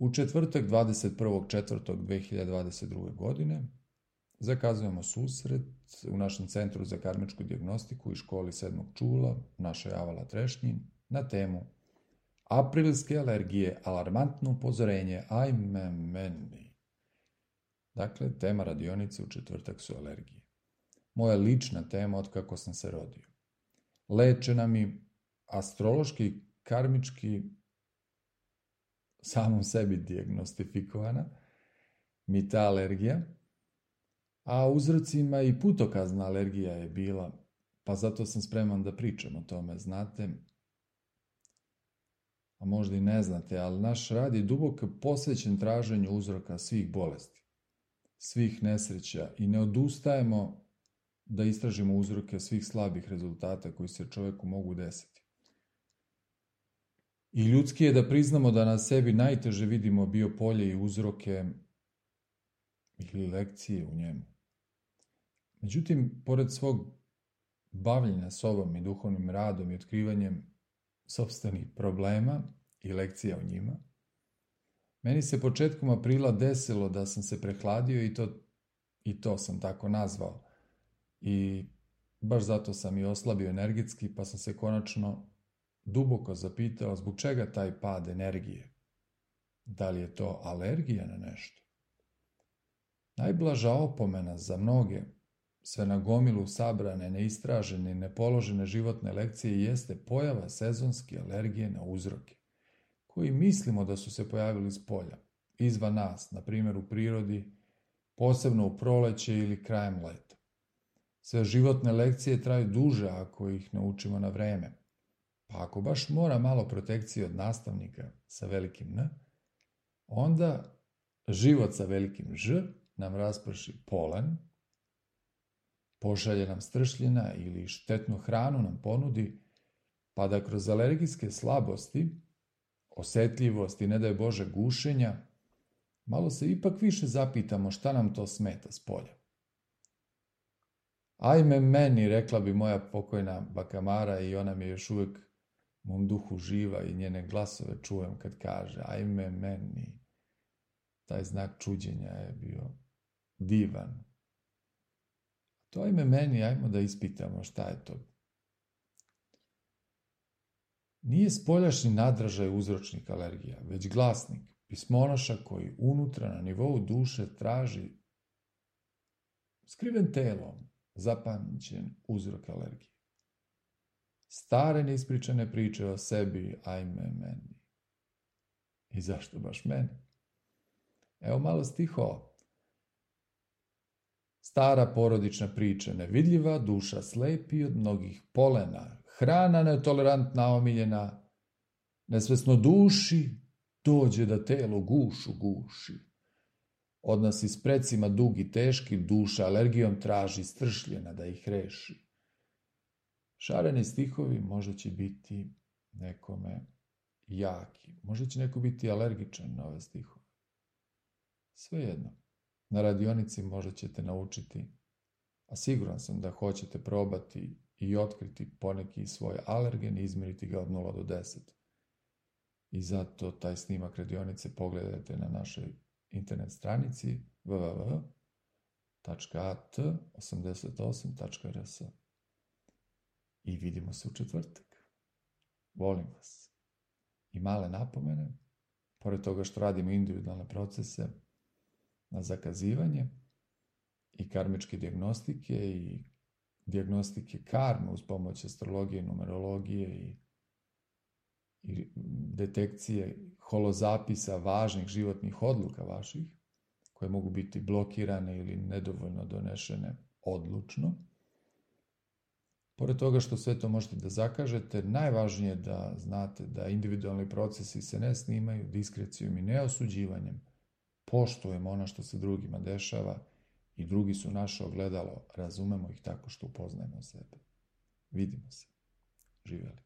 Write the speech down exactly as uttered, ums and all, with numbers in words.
U četvrtak dvadeset prvog četvrtog dve hiljade dvadeset druge. godine zakazujemo susret u našem Centru za karmičku dijagnostiku i školi sedmog čula u našoj Avala Trešnji na temu Aprilske alergije, alarmantno upozorenje, ajme meni. Dakle, tema radionice u četvrtak su alergije. Moja lična tema od kako sam se rodio. Lečena mi astrološki, karmički, samom sebi dijagnostifikovana mi ta alergija, a uzrocima i putokazna alergija je bila, pa zato sam spreman da pričam o tome, znate, a možda i ne znate, ali naš rad je duboko posvećen traženju uzroka svih bolesti, svih nesreća i ne odustajemo da istražimo uzroke svih slabih rezultata koji se čoveku mogu desiti. I ljudski je da priznamo da na sebi najteže vidimo biopolje i uzroke ili lekcije u njemu. Međutim, pored svog bavljenja sobom i duhovnim radom i otkrivanjem sopstvenih problema i lekcija o njima, meni se početkom aprila desilo da sam se prehladio i to, i to sam tako nazvao. I baš zato sam i oslabio energetski, pa sam se konačno duboko zapitao zbog čega taj pad energije. Da li je to alergija na nešto? Najblaža opomena za mnoge, sve na gomilu sabrane, neistražene i nepoložene životne lekcije jeste pojava sezonske alergije na uzroke, koji mislimo da su se pojavili s polja, izvan nas, na primjer u prirodi, posebno u proleće ili krajem leta. Sve životne lekcije traju duže ako ih naučimo na vreme. Pa ako baš mora malo protekcije od nastavnika sa velikim N, onda život sa velikim Ž nam rasprši polen, pošalje nam stršljena ili štetnu hranu nam ponudi, pa da kroz alergijske slabosti, osetljivosti, ne daj Bože gušenja, malo se ipak više zapitamo šta nam to smeta s polja. Ajme meni, rekla bi moja pokojna baka Mara i ona mi je još uvijek u mom duhu živa i njene glasove čujem kad kaže ajme meni. Taj znak čuđenja je bio divan. To ajme meni, ajmo da ispitamo šta je to. Nije spoljašnji nadražaj uzročnik alergija, već glasnik, pismonoša koji unutra na nivou duše traži skriven telom zapamćen uzrok alergije. Stare neispričane priče o sebi, ajme meni. I zašto baš meni? Evo malo stihova. Stara porodična priča, nevidljiva duša slepi od mnogih polena, hrana netolerantna omiljena, nesvesno duši dođe da telo gušu guši. Odnosi s precima dugi teški, duša alergijom traži stršljena da ih reši. Šareni stihovi možda će biti nekome jaki, možda će neko biti alergičan na ove stihove. Svejedno, na radionici možda ćete naučiti, a siguran sam da hoćete probati i otkriti poneki svoj alergen i izmeriti ga od nula do deset. I zato taj snimak radionice pogledajte na našoj internet stranici w w w tačka a t osamdeset osam tačka r s. I vidimo se u četvrtak. Volim vas. I male napomene, pored toga što radimo individualne procese na zakazivanje i karmičke dijagnostike i dijagnostike karme uz pomoć astrologije, numerologije i, i detekcije holozapisa važnih životnih odluka vaših, koje mogu biti blokirane ili nedovoljno donešene odlučno. Pored toga što sve to možete da zakažete, najvažnije je da znate da individualni procesi se ne snimaju diskrecijom i neosuđivanjem. Poštujemo ono što se drugima dešava i drugi su naše ogledalo, razumemo ih tako što upoznajemo sebe. Vidimo se. Živjeli.